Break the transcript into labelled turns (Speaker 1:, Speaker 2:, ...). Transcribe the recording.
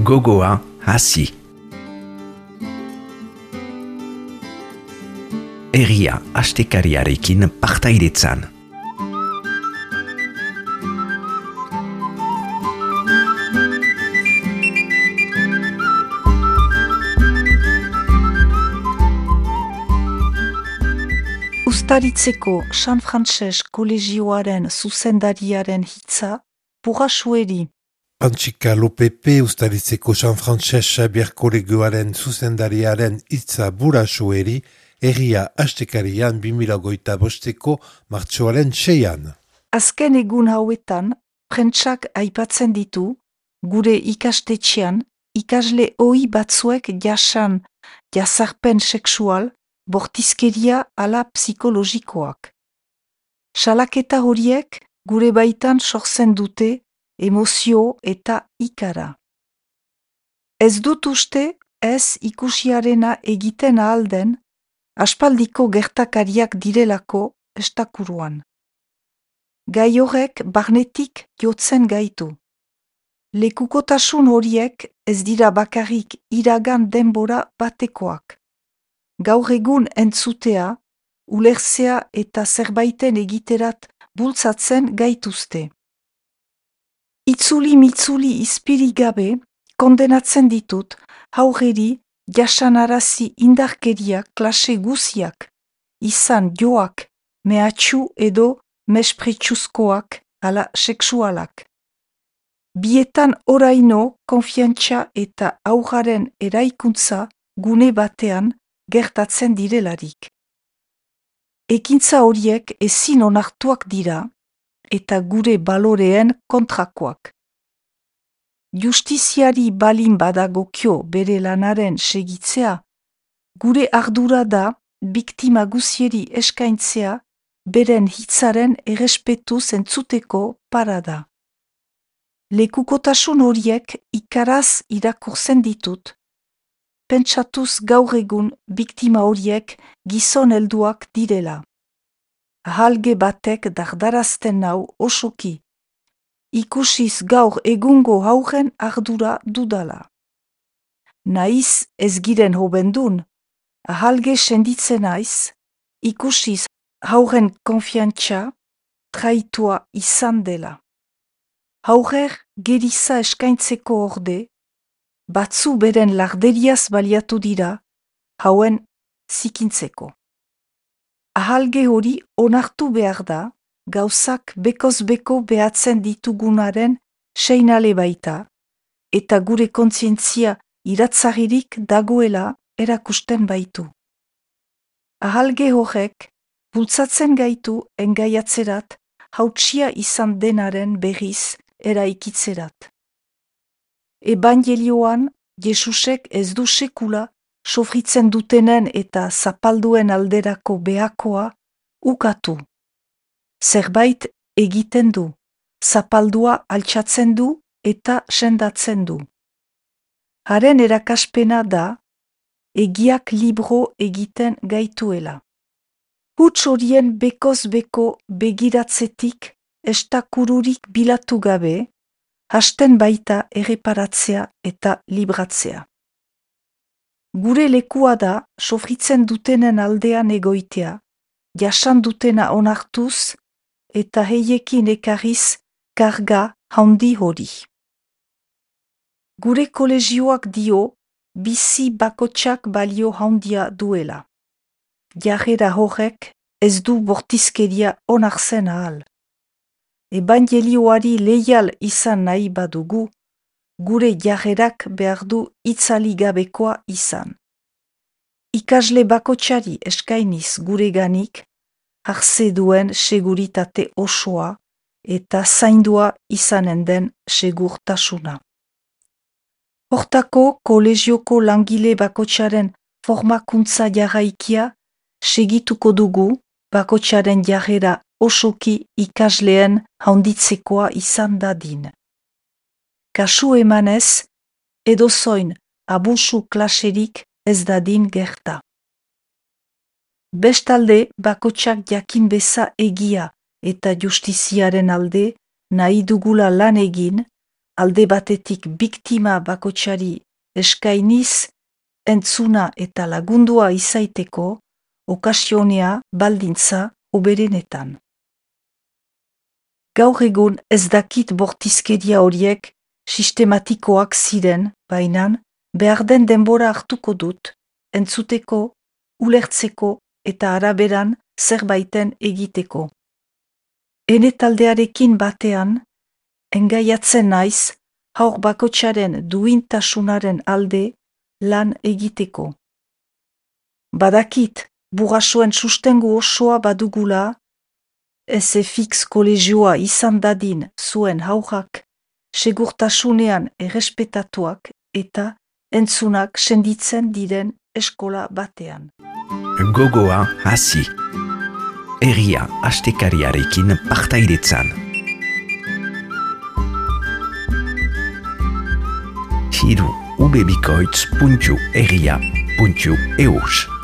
Speaker 1: gogoa hasi. Herria astekariarekin partaidetzan.
Speaker 2: Uztaritzeko San Frantses kolegioaren zuzendariaren hitza Burrasueri.
Speaker 3: Pantsika Lopepe Uztaritzeko San Frantses Xabier kolegioaren zuzendariaren hitza Burrasueri, herria astekarian 2025ko martxoaren 6an.
Speaker 2: Azken egun hauetan, prentsak aipatzen ditu, gure ikastetxean, ikasle ohi batzuek jasan jazarpen sexual, bortizkeria ala psikologikoak. Salaketa horiek gure baitan sortzen dute emozio eta ikara. Ez dut uste ez ikusiarena egiten ahalden, aspaldiko gertakariak direlako estakuruan. Gai horrek barnetik jotzen gaitu. Lekukotasun horiek ez dira bakarrik iragan denbora batekoak. Gaur egun entzutea, ulertzea eta zerbaiten egiterat bultzatzen gaituzte. Itzuli-mitzuli izpiri gabe kondenatzen ditut haurreri jasanarazi indarkeria klase guziak, izan joak, mehatxu edo mespretsuzkoak ala sexualak. Bietan oraino konfiantza eta haurraren eraikuntza gune batean gertatzen direlarik. Ekintza horiek ezin onartuak dira eta gure baloreen kontrakoak. Justiziari balin badagokio bere lanaren segitzea, gure ardura da biktima guzieri eskaintzea beren hitzaren errespetuz entzuteko parada. Lekukotasun horiek ikaraz irakurtzen ditut, pentsatuz gaur egun biktima horiek gizon helduak direla. Ahalge batek dardarazten nau osoki, ikusiz gaur egungo hauren ardura dudala. Naiz ez giren hobendun, ahalge senditzen naiz, ikusiz hauren konfiantza traitua izan dela. Haurer geriza eskaintzeko orde, batzu beren larderiaz baliatu dira, hauen zikintzeko. Ahalge hori onartu behar da, gauzak bekoz-beko behatzen ditugunaren seinale baita, eta gure kontzientzia iratzaririk dagoela erakusten baitu. Ahalge horrek bultzatzen gaitu engaiatzerat hautsia izan denaren berriz eraikitzerat. Ebangelioan, Jesusek ez du sekula sofritzen dutenen eta zapalduen alderako behakoa ukatu. Zerbait egiten du, zapaldua altxatzen du eta sendatzen du. Haren erakaspena da, egiak libro egiten gaituela. Huts horien bekoz-beko begiratzetik estakururik bilatu gabe, hasten baita erreparatzea eta libratzea. Gure lekua da sofritzen dutenen aldean egoitea, jasan dutena onartuz eta heiekin ekarriz karga handi hori. Gure kolegioak dio bizi bakotsak balio handia duela. Jarrera horrek ez du bortizkeria onartzen ahal. Ebangelioari leial izan nahi badugu, gure jarrerak behar du itzaligabekoa izan. Ikasle bakotsari eskainiz gure ganik, hartze duen seguritate osoa eta zaindua izanen den segurtasuna. Hortako kolegioko langile bakotsaren formakuntza jarraikia segituko dugu bakotsaren jarrera osoki ikasleen handitzekoa izan dadin. Kasu emanez, edozoin abusu klaserik ez dadin gerta. Bestalde, bakotsak jakin beza egia eta justiziaren alde nahi dugula lan egin, alde batetik biktima bakotsari eskainiz entzuna eta lagundua izaiteko okasionea baldintza oberenetan. Gaur egun ez dakit bortizkeria horiek sistematikoak ziren, baina behar den denbora hartuko dut, entzuteko, ulertzeko eta araberan zerbaiten egiteko. Ene taldearekin batean, engaiatzen naiz, haur bakotsaren duintasunaren alde lan egiteko. Badakit, burrasoen sustengu osoa badugula, SFX kolegioa izan dadin zuen haurrak, segurtasunean errespetatuak eta entzunak senditzen diren eskola batean.
Speaker 1: Gogoa hasi. Herria astekariarekin partaidetzan. Hiru ubebikoitz.herria.eus